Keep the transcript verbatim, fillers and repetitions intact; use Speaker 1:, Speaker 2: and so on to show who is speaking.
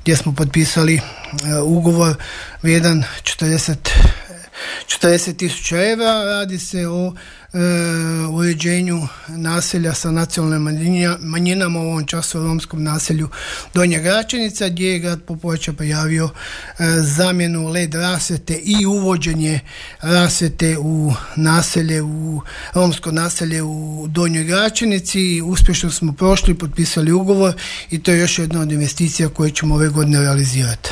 Speaker 1: gdje smo potpisali uh, ugovor vrijedan četrdeset tisuća evra. Radi se o e, uređenju naselja sa nacionalnim manjinama, u ovom času u romskom naselju Donja Gračenica, gdje je grad Popovača prijavio e, zamjenu led rasvjete i uvođenje rasvjete u naselje, u romsko naselje u Donjoj Gračenici. Uspješno smo prošli, potpisali ugovor i to je još jedna od investicija koje ćemo ove godine realizirati.